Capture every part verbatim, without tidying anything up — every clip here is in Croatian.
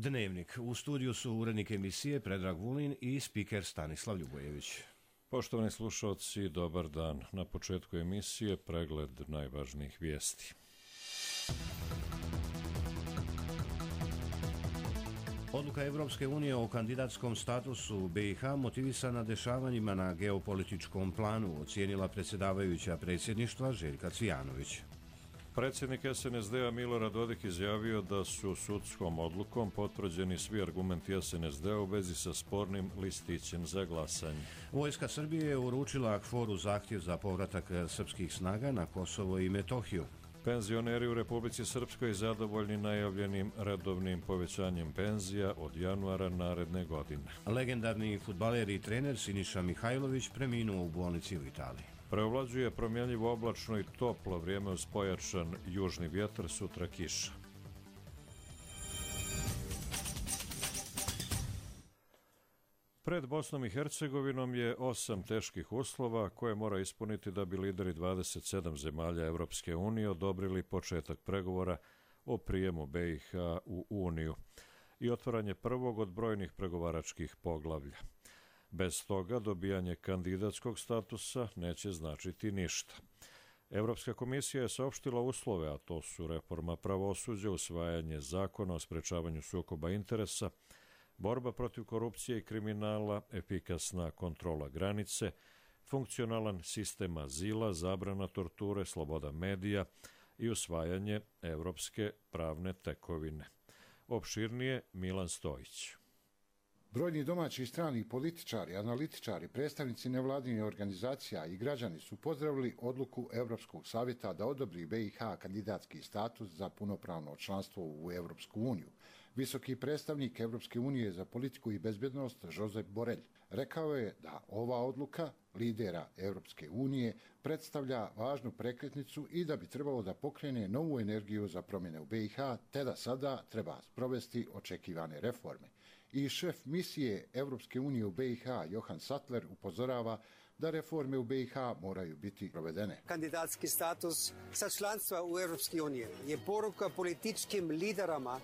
Dnevnik. U studiju su urednik emisije Predrag Vulin i spiker Stanislav Ljubojević. Poštovani slušalci, dobar dan. Na početku emisije pregled najvažnijih vijesti. Odluka Evropske unije o kandidatskom statusu B i H motivisana dešavanjima na geopolitičkom planu, ocijenila predsjedavajuća predsjedništva Željka Cvijanović. Predsjednik S N S D-a Milorad Dodik izjavio da su sudskom odlukom potvrđeni svi argumenti S N S D-a u vezi sa spornim listićem za glasanje. Vojska Srbije je uručila KFOR-u zahtjev za povratak srpskih snaga na Kosovo i Metohiju. Penzioneri u Republici Srpskoj zadovoljni najavljenim redovnim povećanjem penzija od januara naredne godine. Legendarni fudbaler i trener Siniša Mihajlović preminuo u bolnici u Italiji. Preovlađuje promjenljivo oblačno i toplo vrijeme uz pojačan južni vjetar, sutra kiša. Pred Bosnom i Hercegovinom je osam teških uslova koje mora ispuniti da bi lideri dvadeset sedam zemalja Evropske unije odobrili početak pregovora o prijemu B i H u Uniju i otvaranje prvog od brojnih pregovaračkih poglavlja. Bez toga dobijanje kandidatskog statusa neće značiti ništa. Europska komisija je saopštila uslove, a to su reforma pravosuđa, usvajanje zakona o sprečavanju sukoba interesa, borba protiv korupcije i kriminala, efikasna kontrola granice, funkcionalan sistem azila, zabrana torture, sloboda medija i usvajanje evropske pravne tekovine. Opširnije Milan Stojić. Brojni domaći i strani političari, analitičari, predstavnici nevladinih organizacija i građani su pozdravili odluku Europskog savjeta da odobri B i H kandidatski status za punopravno članstvo u Europsku uniju. Visoki predstavnik Europske unije za politiku i bezbjednost Josep Borrell rekao je da ova odluka lidera Europske unije predstavlja važnu prekretnicu i da bi trebalo da pokrene novu energiju za promjene u B i H, te da sada treba sprovesti očekivane reforme. I šef misije Europske unije u B i H, Johan Sattler, upozorava da reforme u B i H moraju biti provedene. Kandidatski status sa članstva u Europske unije je poruka političkim liderama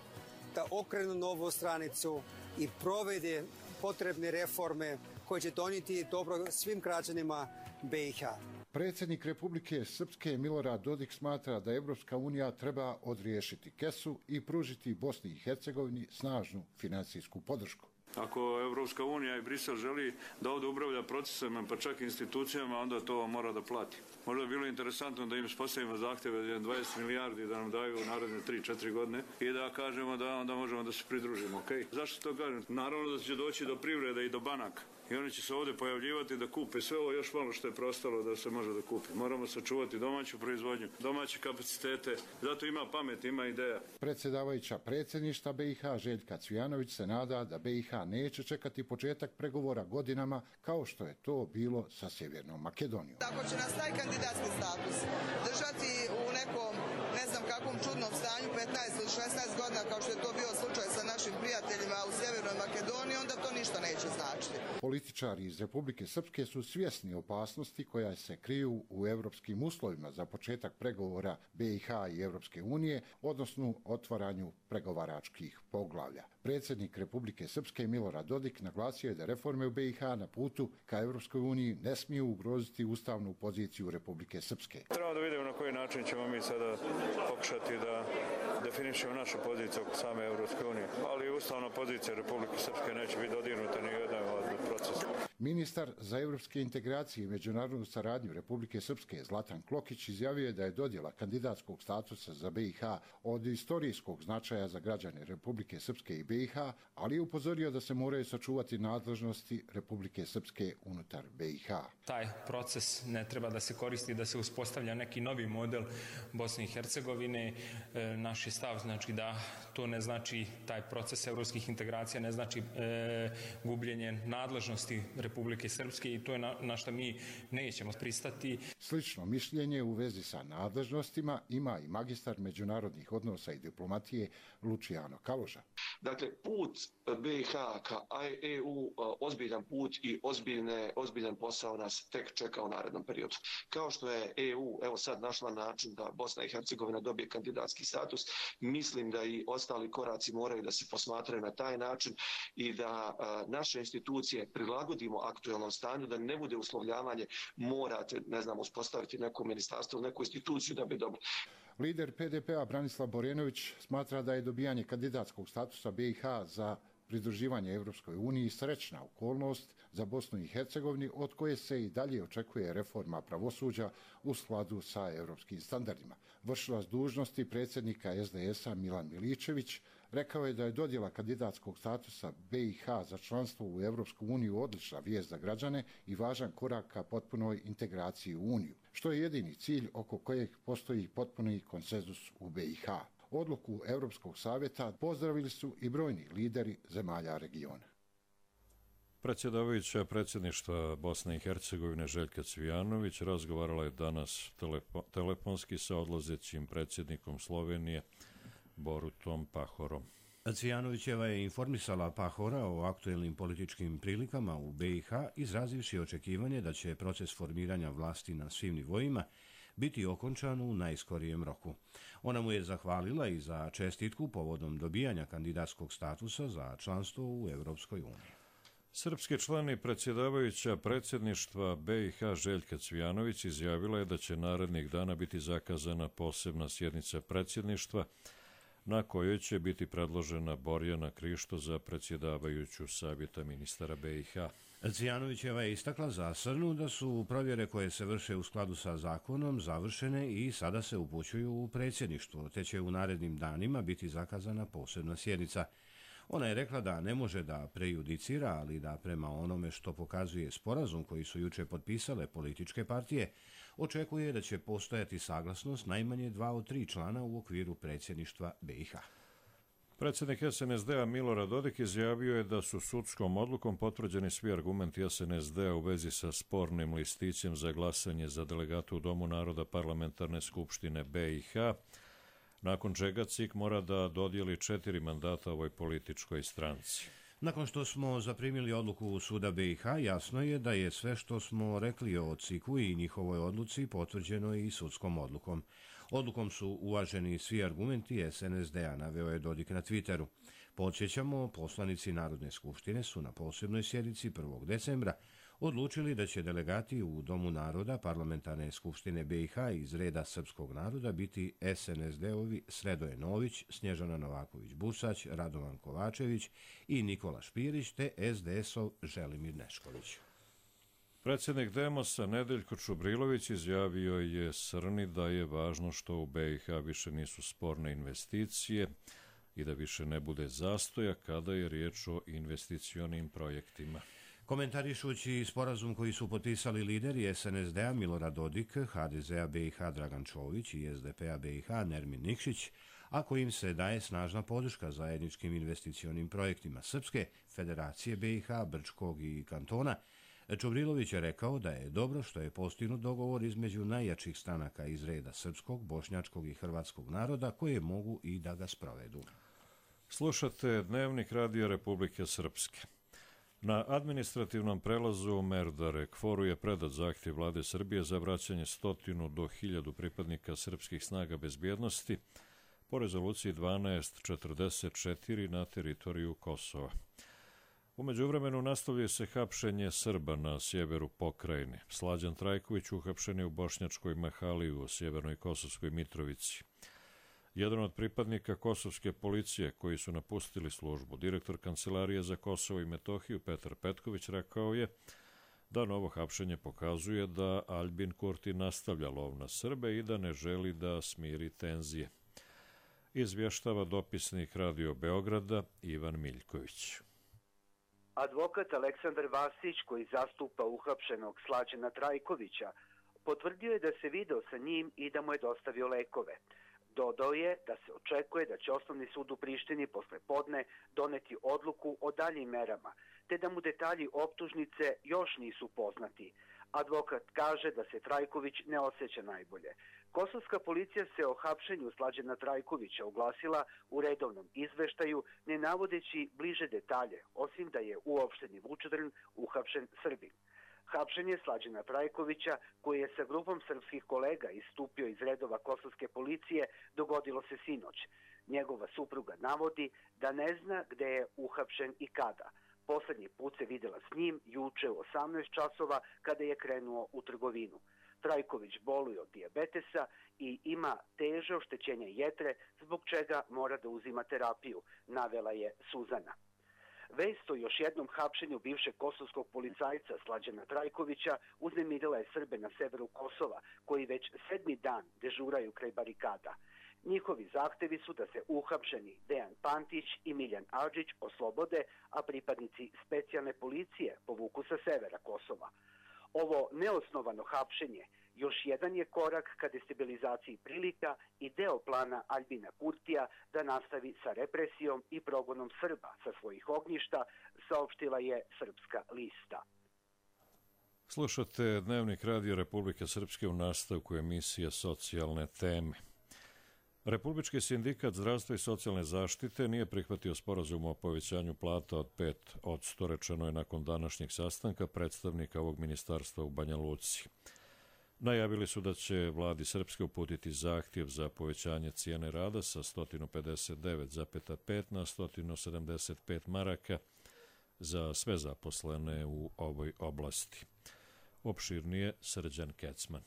da okrenu novu stranicu i provede potrebne reforme koje će donijeti dobro svim građanima B i H. Predsjednik Republike Srpske Milorad Dodik smatra da Evropska unija treba odriješiti kesu i pružiti Bosni i Hercegovini snažnu financijsku podršku. Ako Evropska unija i Brisel želi da ovdje upravlja procesima, pa čak i institucijama, onda to mora da plati. Možda je bilo interesantno da im postavimo zahtjeve dvadeset milijardi da nam daju u naredne tri četiri godine i da kažemo da onda možemo da se pridružimo. Okay? Zašto to kažem? Naravno da će doći do privrede i do banaka. I oni će se ovdje pojavljivati da kupe sve ovo još malo što je preostalo da se može da kupi. Moramo sačuvati domaću proizvodnju, domaće kapacitete. Zato ima pamet, ima ideja. Predsjedavajuća predsjedništva B i H Željka Cvijanović se nada da B i H neće čekati početak pregovora godinama kao što je to bilo sa Sjevernom Makedonijom. Ako će nas taj kandidatski status držati u nekom, ne znam kakvom čudnom stanju petnaest ili šesnaest godina kao što je to bio slučaj sa našim prijateljima u Sjevernoj Makedoniji, onda to ništa neće značiti. Političari iz Republike Srpske su svjesni opasnosti koja se kriju u evropskim uslovima za početak pregovora B i H i Evropske unije, odnosno otvaranju pregovaračkih poglavlja. Predsjednik Republike Srpske Milorad Dodik naglasio je da reforme u B i H na putu ka Evropskoj uniji ne smiju ugroziti ustavnu poziciju Republike Srpske. Trebamo da vidimo na koji način ćemo mi sada pokušati da definišemo našu poziciju same Evropske unije, ali ustavna pozicija Republike Srpske neće biti dodirnuta ni jedan od procesa. Ministar za evropske integracije i međunarodnu saradnju Republike Srpske Zlatan Klokić izjavio je da je dodjela kandidatskog statusa za B i H od istorijskog značaja za građane Republike Srpske i B i H, ali je upozorio da se moraju sačuvati nadležnosti Republike Srpske unutar B i H. Taj proces ne treba da se koristi da se uspostavlja neki novi model Bosne i Hercegovine. E, naš je stav znači da to ne znači taj proces evropskih integracija, ne znači e, gubljenje nadležnosti Republike Srpske i to je na, na što mi nećemo pristati. Slično mišljenje u vezi sa nadležnostima ima i magistar međunarodnih odnosa i diplomatije Luciano Kaloža. Dakle, put B i H ka E U ozbiljan put i ozbiljne, ozbiljan posao nas tek čeka u narednom periodu. Kao što je E U evo sad našla način da Bosna i Hercegovina dobije kandidatski status, mislim da i ostali koraci moraju da se posmatraju na taj način i da a, naše institucije prilagodimo aktuelnom stanju, da ne bude uslovljavanje morate, ne znam, uspostaviti neko ministarstvo, neku instituciju da bi dobili. Lider P D P-a Branislav Borenović smatra da je dobijanje kandidatskog statusa B i H za pridruživanje Evropskoj uniji srećna okolnost za Bosnu i Hercegovinu od koje se i dalje očekuje reforma pravosuđa u skladu sa europskim standardima. Vršilac dužnosti predsjednika S D S-a Milan Miličević rekao je da je dodjela kandidatskog statusa B i H za članstvo u Evropsku uniju odlična vijest za građane i važan korak ka potpunoj integraciji u Uniju, što je jedini cilj oko kojeg postoji potpuni konsenzus u B i H. Odluku Europskog savjeta pozdravili su i brojni lideri zemalja regiona. Predsjedavajuća predsjedništva Bosne i Hercegovine Željka Cvijanović razgovarala je danas telepo, telefonski sa odlazećim predsjednikom Slovenije Borutom Pahorom. Cvijanovićeva je informisala Pahora o aktuelnim političkim prilikama u B i H, izrazivši očekivanje da će proces formiranja vlasti na svim nivoima biti okončan u najskorijem roku. Ona mu je zahvalila i za čestitku povodom dobijanja kandidatskog statusa za članstvo u Evropskoj uniji. Srpski član i predsjedavajuća predsjedništva B i H Željka Cvijanović izjavila je da će narednih dana biti zakazana posebna sjednica predsjedništva na kojoj će biti predložena Borjana Krišto za predsjedavajuću Savjeta ministara B i H. Cvijanovićeva je istakla za Srnu da su provjere koje se vrše u skladu sa zakonom završene i sada se upućuju u predsjedništvo, te će u narednim danima biti zakazana posebna sjednica. Ona je rekla da ne može da prejudicira, ali da prema onome što pokazuje sporazum koji su juče potpisale političke partije, očekuje da će postojati saglasnost najmanje dva od tri člana u okviru predsjedništva B i H. Predsjednik S N S D-a Milorad Dodik izjavio je da su sudskom odlukom potvrđeni svi argumenti S N S D-a u vezi sa spornim listićem za glasanje za delegatu u Domu naroda Parlamentarne skupštine B i H, nakon čega C I K mora da dodijeli četiri mandata ovoj političkoj stranci. Nakon što smo zaprimili odluku suda B i H, jasno je da je sve što smo rekli o C I K-u i njihovoj odluci potvrđeno i sudskom odlukom. Odlukom su uvaženi svi argumenti S N S D-a, naveo je Dodik na Twitteru. Podsjećamo, poslanici Narodne skupštine su na posebnoj sjednici prvog decembra odlučili da će delegati u Domu naroda Parlamentarne skupštine B i H iz reda srpskog naroda biti S N S D-ovi Sredoje Nović, Snježana Novaković-Busać, Radovan Kovačević i Nikola Špirić te S D S-ov Želimir Nešković. Predsjednik Demosa Nedeljko Čubrilović izjavio je Srni da je važno što u B i H više nisu sporne investicije i da više ne bude zastoja kada je riječ o investicionim projektima. Komentarišući sporazum koji su potpisali lideri S N S D-a Milorad Dodik, H D Z-a B i H Dragan Čović i S D P-a B i H Nermin Nikšić, a kojim se daje snažna podrška zajedničkim investicionim projektima Srpske, Federacije B i H, Brčkog i Kantona, Čubrilović je rekao da je dobro što je postignut dogovor između najjačih stranaka iz reda srpskog, bošnjačkog i hrvatskog naroda koje mogu i da ga sprovedu. Slušate Dnevnik Radija Republike Srpske. Na administrativnom prelazu Merdare Kforu je predat zahtjev vlade Srbije za vraćanje stotinu do hiljadu pripadnika srpskih snaga bezbjednosti po rezoluciji dvanaest četrdeset četiri na teritoriju Kosova. U međuvremenu nastavlja se hapšenje Srba na sjeveru pokrajine. Slađan Trajković uhapšen je u Bošnjačkoj Mahali u sjevernoj Kosovskoj Mitrovici. Jedan od pripadnika kosovske policije koji su napustili službu, direktor Kancelarije za Kosovo i Metohiju Petar Petković, rekao je da novo hapšenje pokazuje da Aljbin Kurti nastavlja lov na Srbe i da ne želi da smiri tenzije. Izvještava dopisnik Radio Beograda Ivan Miljković. Advokat Aleksandar Vasić, koji zastupa uhapšenog Slađana Trajkovića, potvrdio je da se video sa njim i da mu je dostavio lekove. Dodao je da se očekuje da će Osnovni sud u Prištini posle podne doneti odluku o daljim merama, te da mu detalji optužnice još nisu poznati. Advokat kaže da se Trajković ne osjeća najbolje. Kosovska policija se o hapšenju Slađana Trajkovića oglasila u redovnom izveštaju, ne navodeći bliže detalje, osim da je u opštini Vučedrn uhapšen Srbin. Hapšenje Slađana Trajkovića, koji je sa grupom srpskih kolega istupio iz redova kosovske policije, dogodilo se sinoć. Njegova supruga navodi da ne zna gde je uhapšen i kada. Poslednji put se videla s njim juče u osamnaest časova kada je krenuo u trgovinu. Trajković boluje od dijabetesa i ima teže oštećenje jetre, zbog čega mora da uzima terapiju, navela je Suzana. Vest o još jednom hapšenju bivšeg kosovskog policajca Slađana Trajkovića uznemirila je Srbe na severu Kosova, koji već sedmi dan dežuraju kraj barikada. Njihovi zahtevi su da se uhapšeni Dejan Pantić i Miljan Adžić oslobode, a pripadnici specijalne policije povuku sa severa Kosova. Ovo neosnovano hapšenje još jedan je korak ka destabilizaciji prilika i deo plana Aljbina Kurtija da nastavi sa represijom i progonom Srba sa svojih ognjišta, saopštila je Srpska lista. Slušate Dnevnik Radio Republike Srpske u nastavku emisije Socijalne teme. Republički sindikat zdravstva i socijalne zaštite nije prihvatio sporazum o povećanju plata od pet posto, rečeno je nakon današnjeg sastanka predstavnika ovog ministarstva u Banja Luci. Najavili su da će vladi Srpske uputiti zahtjev za povećanje cijene rada sa sto pedeset devet zarez pet na sto sedamdeset pet maraka za sve zaposlene u ovoj oblasti. Opširnije Srđan Kecman.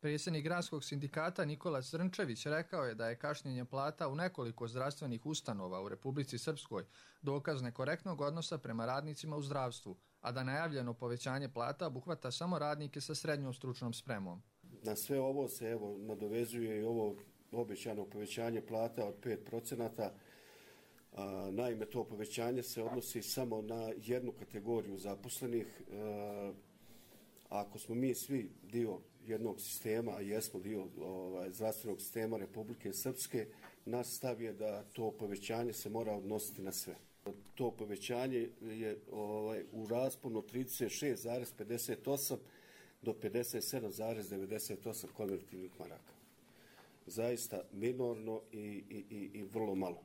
Predsjednik gradskog sindikata Nikola Zrnčević rekao je da je kašnjenje plata u nekoliko zdravstvenih ustanova u Republici Srpskoj dokaz nekorektnog odnosa prema radnicima u zdravstvu, a da najavljeno povećanje plata obuhvata samo radnike sa srednjom stručnom spremom. Na sve ovo se evo nadovezuje i ovo obećano povećanje plata od pet procenata. Naime, to povećanje se odnosi samo na jednu kategoriju zaposlenih. Ako smo mi svi dio jednog sistema, a jesmo dio ovaj, zdravstvenog sistema Republike Srpske, naš stav je da to povećanje se mora odnositi na sve. To povećanje je ovaj, u rasponu trideset šest zarez pedeset osam do pedeset sedam zarez devedeset osam konvertivnih maraka. Zaista minorno i, i, i, i vrlo malo.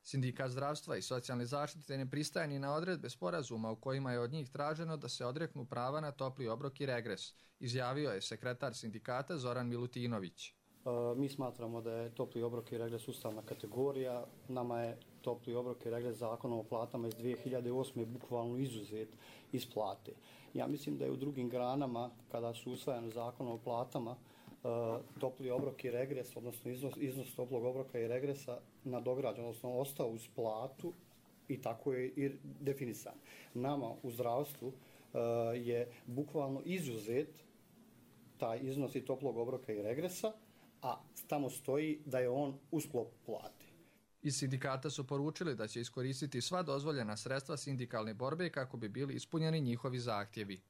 Sindikat zdravstva i socijalne zaštite ne pristaje ni na odredbe sporazuma u kojima je od njih traženo da se odreknu prava na topli obrok i regres, izjavio je sekretar sindikata Zoran Milutinović. E, mi smatramo da je topli obrok i regres ustavna kategorija. Nama je topli obrok i regres zakonom o platama iz dvije hiljade osme bukvalno izuzet iz plate. Ja mislim da je u drugim granama, kada su usvajani zakonom o platama, Uh, topli obrok i regres, odnosno iznos, iznos toplog obroka i regresa nadograđen, odnosno ostao uz platu i tako je i definisan. Nama u zdravstvu uh, je bukvalno izuzet taj iznos i toplog obroka i regresa, a tamo stoji da je on u sklopu plate. Iz sindikata su poručili da će iskoristiti sva dozvoljena sredstva sindikalne borbe kako bi bili ispunjeni njihovi zahtjevi.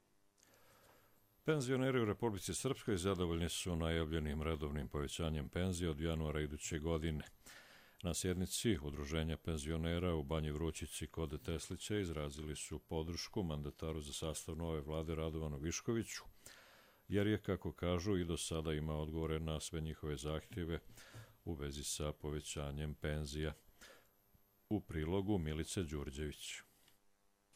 Penzioneri u Republici Srpskoj zadovoljni su najavljenim redovnim povećanjem penzije od januara iduće godine. Na sjednici Udruženja penzionera u Banji Vrućici kod Teslića izrazili su podršku mandataru za sastav nove vlade Radovanu Viškoviću, jer je, kako kažu, i do sada ima odgovore na sve njihove zahtjeve u vezi sa povećanjem penzija. U prilogu Milice Đurđević.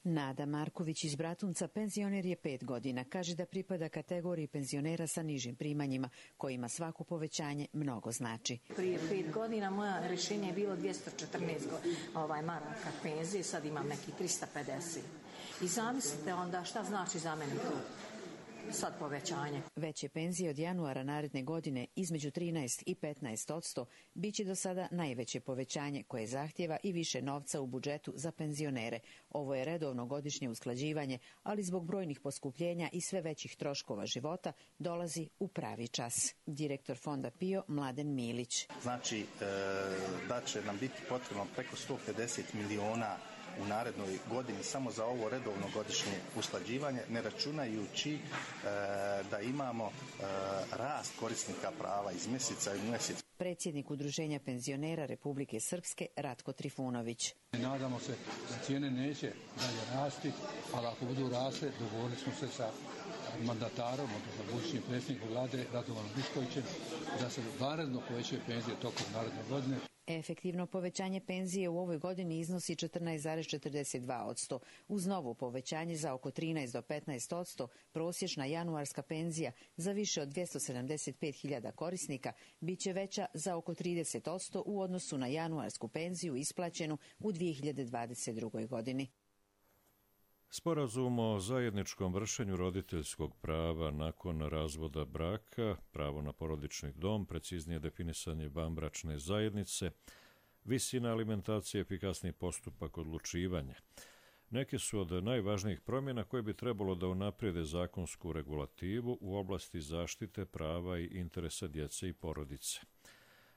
Nada Marković iz Bratunca penzioner je pet godina. Kaže da pripada kategoriji penzionera sa nižim primanjima, kojima svako povećanje mnogo znači. Prije pet godina moja rješenje je bilo dvjesto četrnaest ovaj, maraka penzije, sad imam neki trista pedeset. I zamislite onda šta znači za mene to. Sad povećanje. Veće penzije od januara naredne godine između trinaest i petnaest odsto biće do sada najveće povećanje koje zahtjeva i više novca u budžetu za penzionere. Ovo je redovno godišnje usklađivanje, ali zbog brojnih poskupljenja i sve većih troškova života dolazi u pravi čas. Direktor fonda PIO Mladen Milić. Znači da će nam biti potrebno preko sto pedeset miliona u narednoj godini samo za ovo redovno godišnje usklađivanje, ne računajući e, da imamo e, rast korisnika prava iz mjeseca u mjesec. predsjednik Udruženja penzionera Republike Srpske Ratko Trifunović. Nadamo se da cijene neće dalje rasti, ali ako budu rasle, dogovorili smo se sa mandatarom, odnosno budućim predsjednikom vlade Radovanom Viškovićem, da se vanredno povećaju penzije tokom naredne godine. Efektivno povećanje penzije u ovoj godini iznosi četrnaest zarez četrdeset dva posto. Uz novo povećanje za oko trinaest do petnaest posto, prosječna januarska penzija za više od dvjesto sedamdeset pet hiljada korisnika biće veća za oko trideset posto u odnosu na januarsku penziju isplaćenu u dvije hiljade dvadeset drugoj. godini. Sporazum o zajedničkom vršenju roditeljskog prava nakon razvoda braka, pravo na porodični dom, preciznije definisanje vanbračne zajednice, visina alimentacije, efikasni postupak odlučivanja. Neke su od najvažnijih promjena koje bi trebalo da unaprijede zakonsku regulativu u oblasti zaštite prava i interesa djece i porodice.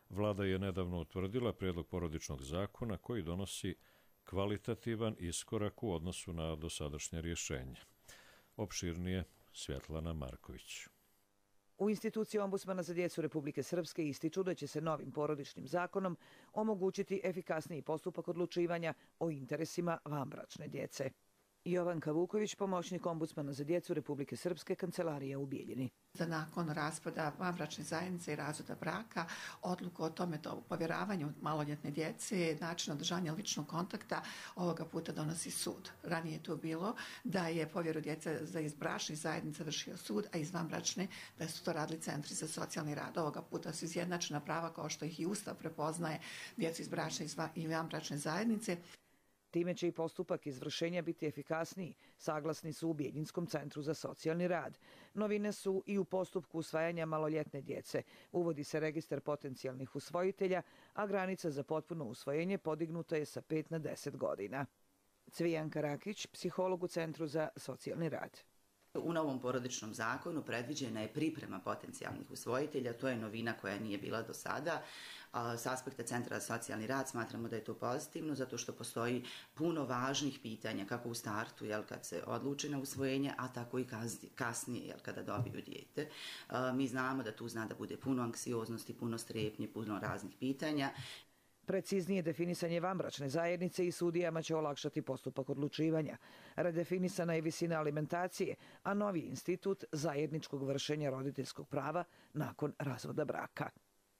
Vlada je nedavno utvrdila prijedlog porodičnog zakona koji donosi kvalitativan iskorak u odnosu na dosadašnje rješenje. Opširnije Svjetlana Marković. U instituciji Ombudsmana za djecu Republike Srpske ističu da će se novim porodičnim zakonom omogućiti efikasniji postupak odlučivanja o interesima vanbračne djece. Jovanka Vuković, pomoćnik Ombudsmana za djecu Republike Srpske, kancelarija u Bijeljini. Da nakon raspada vanbračne zajednice i razvoda braka, odluku o tome do povjeravanju maloljetne djece, način održanja ličnog kontakta, ovoga puta donosi sud. Ranije je to bilo da je povjeru djece za iz bračnih zajednica vršio sud, a iz vanbračne da su to radili centri za socijalni rad. Ovoga puta su izjednačena prava kao što ih i Ustav prepoznaje djecu iz bračne i vanbračne zajednice. Time će i postupak izvršenja biti efikasniji, saglasni su u Bijeljinskom centru za socijalni rad. Novine su i u postupku usvajanja maloljetne djece. Uvodi se registar potencijalnih usvojitelja, a granica za potpuno usvojenje podignuta je sa pet na deset godina. Cvijanka Rakić, psiholog u Centru za socijalni rad. U novom porodičnom zakonu predviđena je priprema potencijalnih usvojitelja, to je novina koja nije bila do sada. S aspekta Centra za socijalni rad smatramo da je to pozitivno, zato što postoji puno važnih pitanja, kako u startu, jel, kad se odluči na usvojenje, a tako i kasnije, jel, kada dobiju dijete. Mi znamo da tu zna da bude puno anksioznosti, puno strepnje, puno raznih pitanja. Preciznije definisanje vanbračne zajednice i sudijama će olakšati postupak odlučivanja. Redefinisana je visina alimentacije, a novi institut zajedničkog vršenja roditeljskog prava nakon razvoda braka.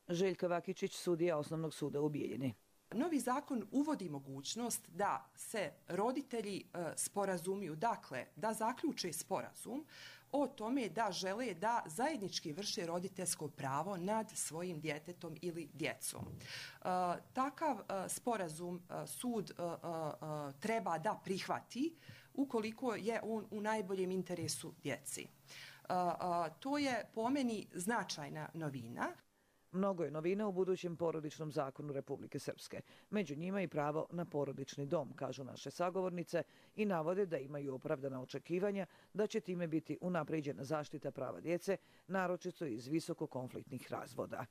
Željka Vakičić, sudija Osnovnog suda u Bijeljini. Novi zakon uvodi mogućnost da se roditelji e, sporazumiju, dakle da zaključe sporazum o tome da žele da zajednički vrše roditeljsko pravo nad svojim djetetom ili djecom. E, takav e, sporazum e, sud e, e, treba da prihvati ukoliko je on u najboljem interesu djeci. E, e, to je po meni značajna novina. Mnogo je novina u budućem porodičnom zakonu Republike Srpske. Među njima i pravo na porodični dom, kažu naše sagovornice, i navode da imaju opravdana očekivanja da će time biti unapređena zaštita prava djece, naročito iz visoko konfliktnih razvoda.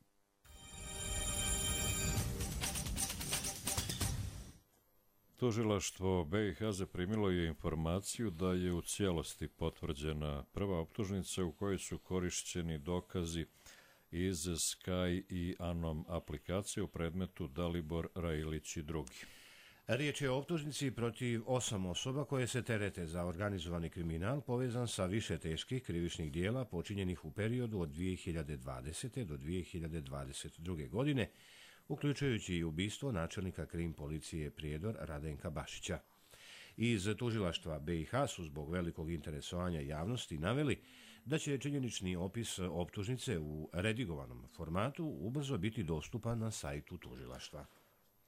Tužilaštvo B i H zaprimilo je informaciju da je u cijelosti potvrđena prva optužnica u kojoj su korišćeni dokazi iz Sky i Anom aplikacije u predmetu Dalibor Railić i drugi. Riječ je o optužnici protiv osam osoba koje se terete za organizovani kriminal povezan sa više teških krivičnih dijela počinjenih u periodu od dvije hiljade dvadesete. do dvije hiljade dvadeset druge. godine, uključujući i ubistvo načelnika krim policije Prijedor Radenka Bašića. Iz tužilaštva B i H su zbog velikog interesovanja javnosti naveli da će činjenični opis optužnice u redigovanom formatu ubrzo biti dostupan na sajtu tužilaštva.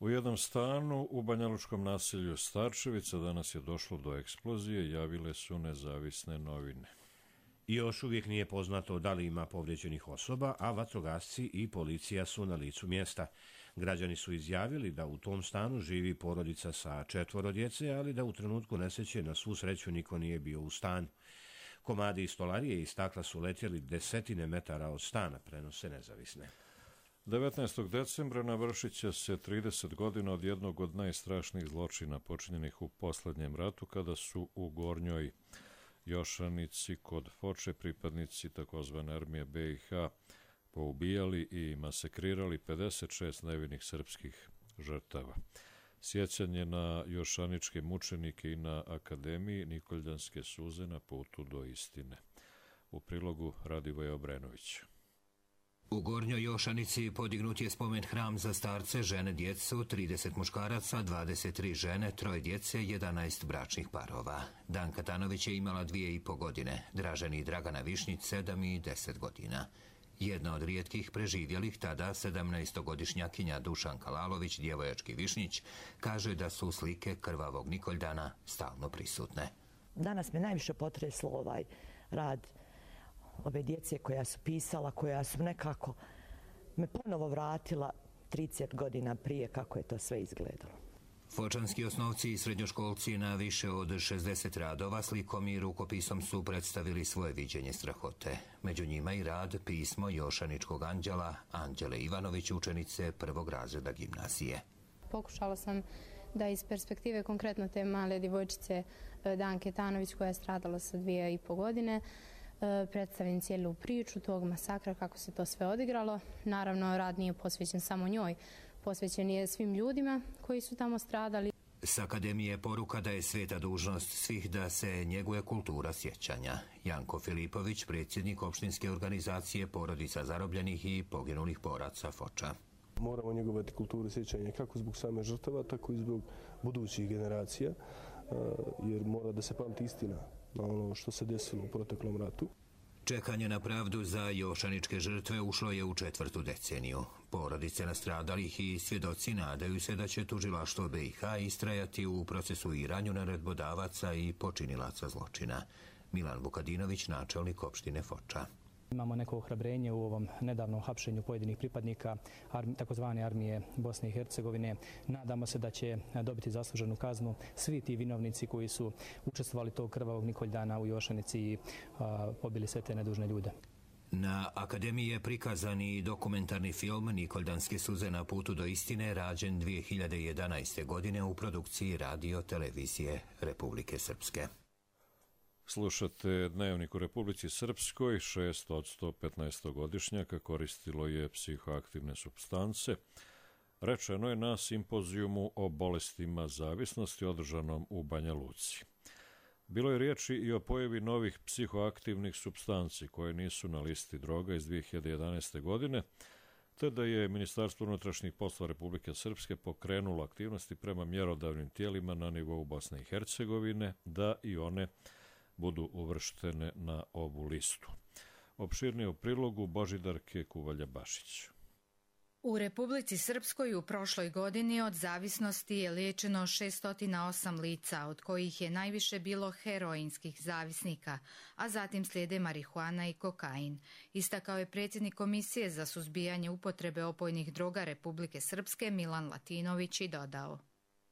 U jednom stanu u banjalučkom naselju Starčevica danas je došlo do eksplozije, javile su nezavisne novine. I još uvijek nije poznato da li ima povrijeđenih osoba, a vatrogasci i policija su na licu mjesta. Građani su izjavili da u tom stanu živi porodica sa četvoro djece, ali da u trenutku nesreće na svu sreću niko nije bio u stanu. Komadi i stolarije i stakla su letjeli desetine metara od stana, prenose nezavisne. devetnaestog decembra navršit će se trideset godina od jednog od najstrašnijih zločina počinjenih u posljednjem ratu, kada su u Gornjoj Jošanici kod Foče pripadnici takozvane armije B i H poubijali i masakrirali pedeset šest nevinih srpskih žrtava. Sjećanje na jošaničke mučenike i na Akademiji Nikoljanske suze na putu do istine. U prilogu Radivoje Obrenović. U Gornjoj Jošanici podignut je spomen hram za starce, žene, djecu, trideset muškaraca, dvadeset tri žene, troje djece, jedanaest bračnih parova. Danka Tanović je imala dvije i po godine, Draženi i Dragana Višnjić sedam i deset godina. Jedna od rijetkih preživjelih tada sedamnaestogodišnjakinja Dušanka Lalović, djevojački Višnjić, kaže da su slike krvavog Nikoldana stalno prisutne. Danas me najviše potreslo ovaj rad ove djece koja su pisala, koja su nekako me ponovo vratila trideset godina prije kako je to sve izgledalo. Fočanski osnovci i srednjoškolci na više od šezdeset radova slikom i rukopisom su predstavili svoje viđenje strahote. Među njima i rad pismo Jošaničkog anđela Anđele Ivanović, učenice prvog razreda gimnazije. Pokušala sam da iz perspektive konkretno te male djevojčice Danke Tanović koja je stradala sa dvije i po godine predstavim cijelu priču tog masakra, kako se to sve odigralo. Naravno, rad nije posvećen samo njoj, posvećen je svim ljudima koji su tamo stradali. S Akademije je poruka da je sveta dužnost svih da se njeguje kultura sjećanja. Janko Filipović, predsjednik opštinske organizacije Porodica zarobljenih i poginulih boraca Foča. Moramo njegovati kulturu sjećanja kako zbog same žrtava, tako i zbog budućih generacija, jer mora da se pamti istina na ono što se desilo u proteklom ratu. Čekanje na pravdu za jošaničke žrtve ušlo je u četvrtu deceniju. Porodice nastradalih i svjedoci nadaju se da će tužilaštvo B i H istrajati u procesuiranju naredbodavaca i počinilaca zločina. Milan Vukadinović, načelnik opštine Foča. Imamo neko ohrabrenje u ovom nedavnom hapšenju pojedinih pripadnika takozvane armije Bosne i Hercegovine. Nadamo se da će dobiti zasluženu kaznu svi ti vinovnici koji su učestvovali tog krvavog Nikoldana u Jošanici i a, pobili sve te nedužne ljude. Na Akademiji je prikazan i dokumentarni film Nikoldanske suze na putu do istine, rađen dvije hiljade jedanaeste. godine u produkciji Radio Televizije Republike Srpske. Slušate Dnevnik u Republici Srpskoj. šest od sto petnaestogodišnjaka koristilo je psihoaktivne supstance. Rečeno je na simpozijumu o bolestima zavisnosti održanom u Banja Luci. Bilo je riječi i o pojavi novih psihoaktivnih supstanci koje nisu na listi droga iz dvije hiljade jedanaeste. godine, te da je Ministarstvo unutrašnjih poslova Republike Srpske pokrenulo aktivnosti prema mjerodavnim tijelima na nivou Bosne i Hercegovine da i one budu uvrštene na ovu listu. Opširnije u prilogu Božidarke Kuvalja-Bašić. U Republici Srpskoj u prošloj godini od zavisnosti je liječeno šesto osam lica, od kojih je najviše bilo heroinskih zavisnika, a zatim slijede marihuana i kokain. Istakao je predsjednik Komisije za suzbijanje upotrebe opojnih droga Republike Srpske Milan Latinović i dodao: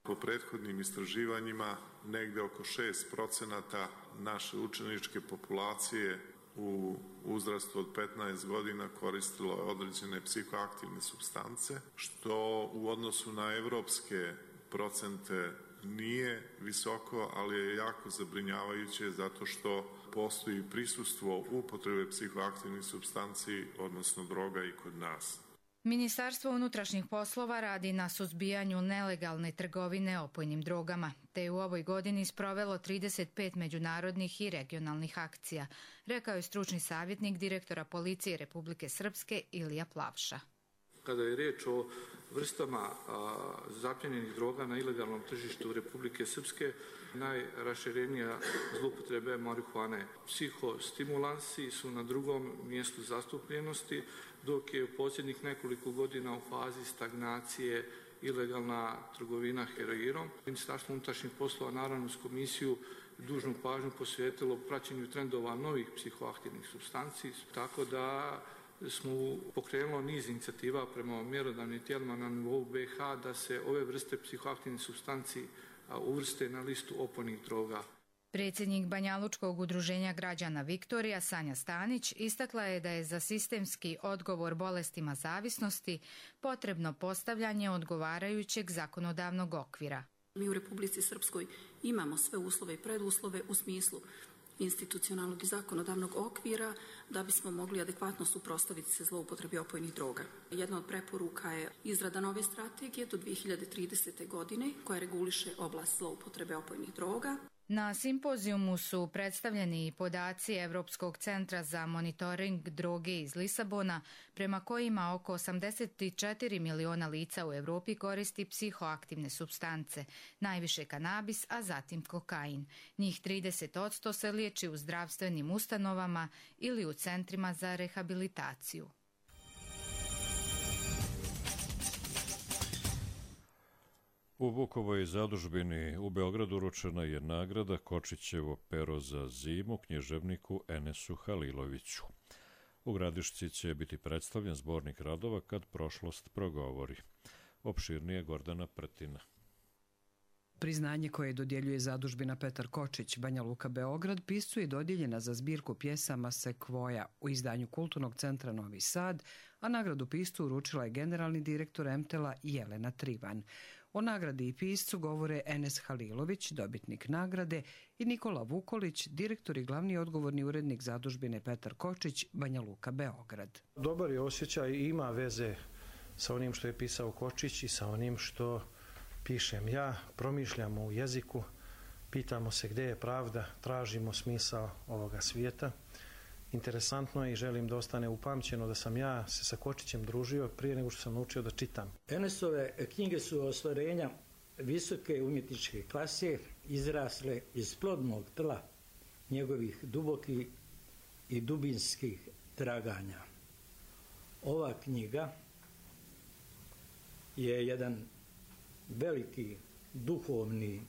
Po prethodnim istraživanjima, negde oko šest procenata naše učeničke populacije u uzrastu od petnaest godina koristilo je određene psihoaktivne supstance, što u odnosu na evropske procente nije visoko, ali je jako zabrinjavajuće zato što postoji prisustvo upotrebe psihoaktivnih supstanci, odnosno droga i kod nas. Ministarstvo unutrašnjih poslova radi na suzbijanju nelegalne trgovine opojnim drogama, te je u ovoj godini sprovelo trideset pet međunarodnih i regionalnih akcija, rekao je stručni savjetnik direktora policije Republike Srpske Ilija Plavša. Kada je riječ o vrstama a, zapljenjenih droga na ilegalnom tržištu Republike Srpske, najraširenija zloupotreba je marihuane. Psihostimulansi su na drugom mjestu zastupljenosti, dok je u posljednjih nekoliko godina u fazi stagnacije ilegalna trgovina heroinom. Ministarstvo unutrašnjih poslova naravno s komisiju dužnu pažnju posvetilo praćenju trendova novih psihoaktivnih supstanci, tako da smo pokrenuli niz inicijativa prema mjerodavnim tijelima na nivou B i H da se ove vrste psihoaktivnih supstanci uvrste na listu opojnih droga. Predsjednik Banjalučkog udruženja građana Viktorija Sanja Stanić istakla je da je za sistemski odgovor bolestima zavisnosti potrebno postavljanje odgovarajućeg zakonodavnog okvira. Mi u Republici Srpskoj imamo sve uslove i preduslove u smislu institucionalnog i zakonodavnog okvira da bismo mogli adekvatno suprotstaviti se zloupotrebi opojnih droga. Jedna od preporuka je izrada nove strategije do dvije hiljade tridesete. godine koja reguliše oblast zloupotrebe opojnih droga. Na simpozijumu su predstavljeni podaci Evropskog centra za monitoring droge iz Lisabona, prema kojima oko osamdeset četiri miliona lica u Evropi koristi psihoaktivne supstance, najviše kanabis, a zatim kokain. Njih trideset posto se liječi u zdravstvenim ustanovama ili u centrima za rehabilitaciju. U Vukovoj zadužbini u Beogradu uručena je nagrada Kočićevo pero za zimu književniku Enesu Haliloviću. U Gradišci će biti predstavljen zbornik radova Kad prošlost progovori. Opširnije Gordana Prtina. Priznanje koje dodjeljuje zadužbina Petar Kočić, Banja Luka, Beograd, piscu je dodijeljena za zbirku pjesama Sekvoja u izdanju Kulturnog centra Novi Sad, a nagradu piscu uručila je generalni direktor Emtela Jelena Trivan. O nagradi i piscu govore Enes Halilović, dobitnik nagrade, i Nikola Vukolić, direktor i glavni odgovorni urednik zadužbine Petar Kočić, Banja Luka, Beograd. Dobar je osjećaj i ima veze sa onim što je pisao Kočić i sa onim što pišem ja. Promišljamo u jeziku, pitamo se gdje je pravda, tražimo smisao ovoga svijeta. Interesantno je i želim da ostane upamćeno da sam ja se sa Kočićem družio prije nego što sam naučio da čitam. Enesove knjige su ostvarenja visoke umjetničke klase, izrasle iz plodnog tla njegovih dubokih i dubinskih traganja. Ova knjiga je jedan veliki duhovni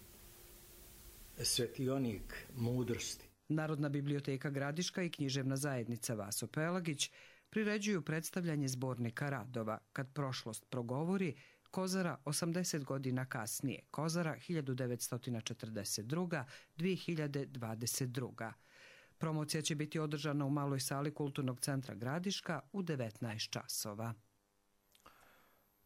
svetionik mudrosti. Narodna biblioteka Gradiška i književna zajednica Vaso Pelagić priređuju predstavljanje zbornika radova Kad prošlost progovori, Kozara osamdeset godina kasnije, Kozara hiljadu devetsto četrdeset druga do dvije hiljade dvadeset druga. Promocija će biti održana u maloj sali Kulturnog centra Gradiška u devetnaest časova.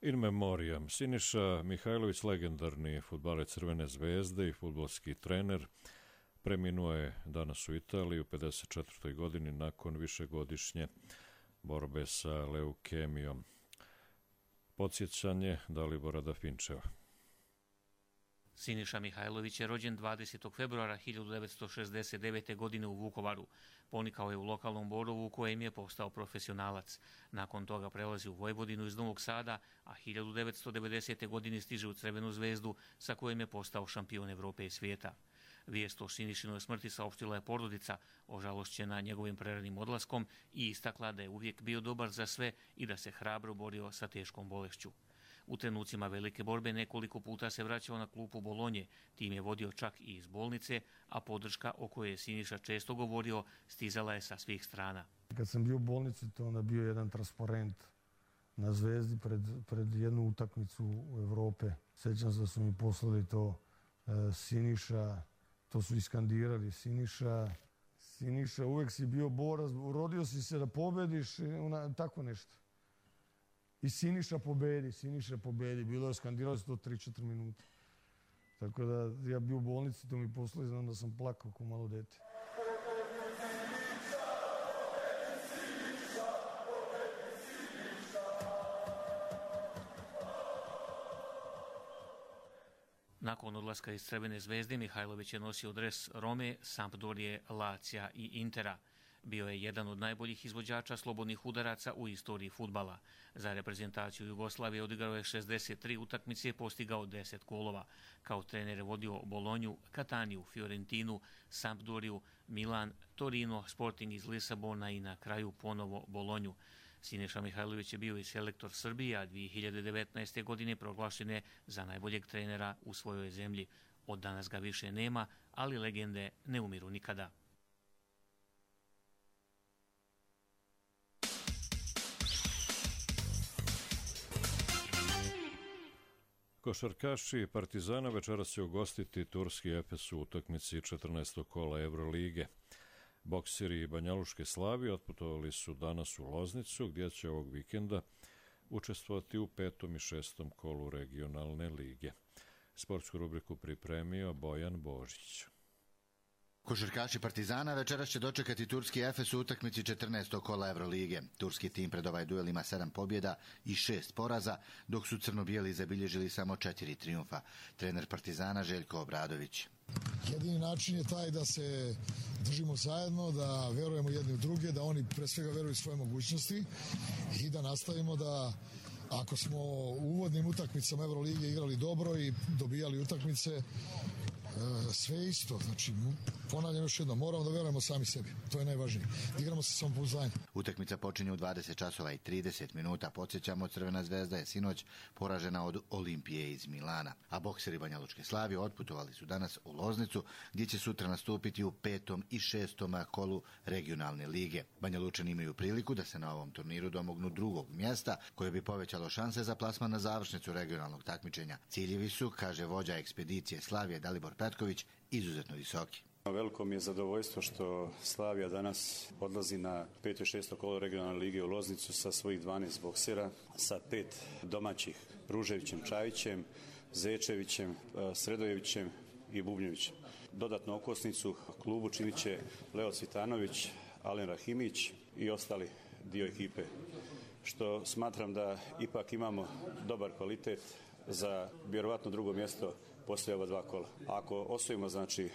In memoriam, Siniša Mihajlović, legendarni fudbaler Crvene zvezde i fudbalski trener, preminuo je danas u Italiji u pedeset četvrtoj godini nakon višegodišnje borbe sa leukemijom. Podsjećanje Dalibora Dafinčeva. Siniša Mihajlović je rođen dvadesetog februara hiljadu devetsto šezdeset devete. godine u Vukovaru. Ponikao je u lokalnom Borovu u kojem je postao profesionalac. Nakon toga prelazi u Vojvodinu iz Novog Sada, a hiljadu devetsto devedesete. godine stiže u Crvenu zvezdu sa kojim je postao šampion Evrope i svijeta. Vijest o Sinišinoj smrti saopštila je porodica, ožalošćena njegovim preranim odlaskom, i istakla da je uvijek bio dobar za sve i da se hrabro borio sa teškom bolešću. U trenucima velike borbe nekoliko puta se vraćao na klupu Bolonje, tim je vodio čak i iz bolnice, a podrška o kojoj je Siniša često govorio stizala je sa svih strana. Kad sam bio u bolnici, to onda bio jedan transparent na Zvezdi pred, pred jednu utakmicu u Evrope. Sjećam se da su mi poslali to e, Siniša, to su iskandirali Siniša. Siniša, uvijek si bio borac, rodio si se da pobediš, ona, tako nešto. I Siniša pobedi, Siniša pobedi. Bilo je skandiralo se to tri četiri minuta. Tako da ja bio u bolnici, to mi poslali, znam da sam plakao kao malo dete. Nakon odlaska iz Crvene zvezde, Mihajlović je nosio dres Rome, Sampdorije, Lacija i Intera. Bio je jedan od najboljih izvođača slobodnih udaraca u istoriji fudbala. Za reprezentaciju Jugoslavije odigrao je šezdeset tri utakmice i postigao deset golova. Kao trener je vodio Bolonju, Kataniju, Fiorentinu, Sampdoriju, Milan, Torino, Sporting iz Lisabona i na kraju ponovo Bolonju. Siniša Mihajlović je bio i selektor Srbije, a dvije hiljade devetnaeste. godine proglašen je za najboljeg trenera u svojoj zemlji. Od danas ga više nema, ali legende ne umiru nikada. Košarkaši Partizana večeras će ugostiti turski Efes u utakmici četrnaestog kola Evrolige. Bokseri Banjaluške Slavije otputovali su danas u Loznicu, gdje će ovog vikenda učestvovati u petom i šestom kolu regionalne lige. Sportsku rubriku pripremio Bojan Božić. Košarkaši Partizana večeras će dočekati turski Efes u utakmici četrnaestog kola Evrolige. Turski tim pred ovaj duel ima sedam pobjeda i šest poraza, dok su crno-bijeli zabilježili samo četiri trijumfa. Trener Partizana Željko Obradović. Jedini način je taj da se držimo zajedno, da verujemo jedni u druge, da oni pre svega veruju svoje mogućnosti i da nastavimo da, ako smo u uvodnim utakmicama Evrolige igrali dobro i dobijali utakmice, sve isto, znači ponavljam još jedno, moramo da verujemo sami sebi, to je najvažnije, igramo se samopouzdanje. Utakmica počinje u dvadeset časova i trideset minuta, podsjećamo, Crvena zvezda je sinoć poražena od Olimpije iz Milana, a bokseri Banjalučke Slavije otputovali su danas u Loznicu, gdje će sutra nastupiti u petom i šestom kolu regionalne lige. Banjalučani imaju priliku da se na ovom turniru domognu drugog mjesta, koje bi povećalo šanse za plasman na završnicu regionalnog takmičenja. Ciljevi su, kaže vođa ekspedicije Slavije Dalibor Petković, izuzetno visoki. Veliko mi je zadovoljstvo što Slavija danas odlazi na peto i šesto kolo regionalne lige u Loznicu sa svojih dvanaest boksera, sa pet domaćih, Ruževićem, Čajićem, Zečevićem, Sredojevićem i Bubnjevićem. Dodatnu okosnicu klubu činit će Leo Cvitanović, Alen Rahimić i ostali dio ekipe, što smatram da ipak imamo dobar kvalitet za vjerovatno drugo mjesto poslije ova dva kola. Ako osvojimo znači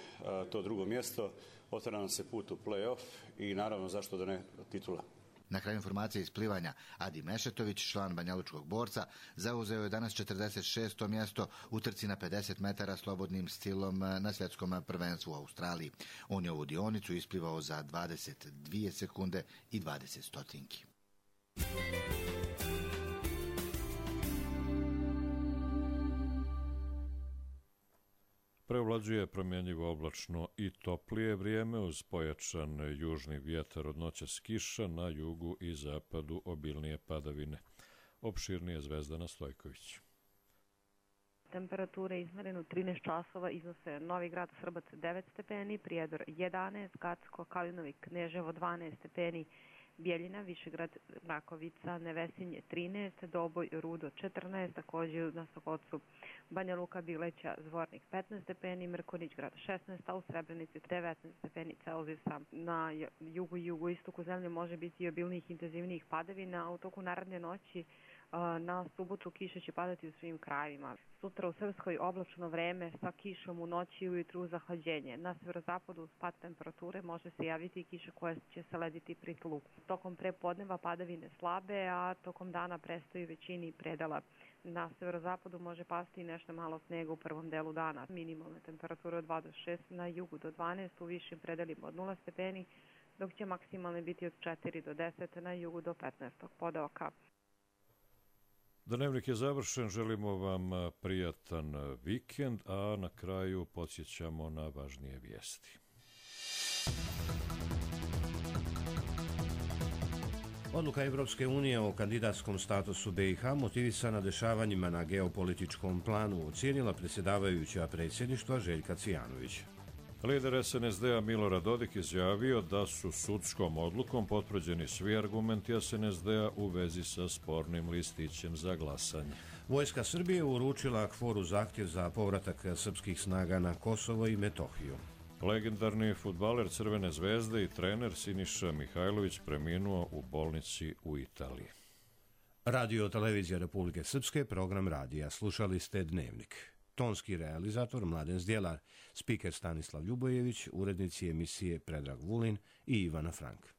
to drugo mjesto, otvara nam se put u play-off i naravno zašto da ne titula. Na kraju informacije iz plivanja, Adi Mešetović, član Banjalučkog borca, zauzeo je danas četrdeset šesto mjesto u trci na pedeset metara slobodnim stilom na svjetskom prvenstvu u Australiji. On je ovu dionicu isplivao za dvadeset dvije sekunde i dvadeset stotinki. Prevlađuje promjenjivo oblačno i toplije vrijeme uz pojačan južni vjetar od noćas kiša, na jugu i zapadu obilnije padavine. Opširnije Zvezdana Stojković. Temperature izmerene u trinaest časova iznose Novi Grad, Srbac devet stepeni, Prijedor jedanaest, Gacko, Kalinovi, Kneževo dvanaest stepeni, Bijeljina, Višegrad, Rakovica, Nevesinje trinaest, Doboj, Rudo četrnaest, također na Sokocu, Banja Luka, Bileća, Zvornik petnaest stepeni, Mrkonić grad šesnaest, a u Srebrenici devetnaest stepeni Celzijusa. Na jugu i jugoistoku zemlje može biti i obilnijih intenzivnijih padavina, a u toku naredne noći na subotu kiša će padati u svim krajevima. Sutra u Srpskoj oblačno vreme sa kišom u noći i ujutru zahlađenje. Na severozapadu pad temperature može se javiti i kiša koja će se lediti pri tlu. Tokom prepodneva padavine slabe, a tokom dana prestaju većini predela. Na severozapadu može pasti nešto malo snega u prvom delu dana. Minimalne temperature od dva do šest, na jugu do dvanaest, u višim predelima od nula stepeni, dok će maksimalne biti od četiri do deset, na jugu do petnaest pod oka. Dnevnik je završen, želimo vam prijatan vikend, a na kraju podsjećamo na važnije vijesti. Odluka Evropske unije o kandidatskom statusu B i H motivisana dešavanjima na geopolitičkom planu ocijenila predsjedavajuća predsjedništva Željka Cijanović. Lider S N S D-a Milorad Dodik izjavio da su sudskom odlukom potvrđeni svi argumenti S N S D-a u vezi sa spornim listićem za glasanje. Vojska Srbije uručila KFOR-u zahtjev za povratak srpskih snaga na Kosovo i Metohiju. Legendarni fudbaler Crvene zvezde i trener Siniša Mihajlović preminuo u bolnici u Italiji. Radio Televizija Republike Srpske, program radija. Slušali ste Dnevnik. Tonski realizator Mladen Zdjelar, spiker Stanislav Ljubojević, urednici emisije Predrag Vulin i Ivana Frank.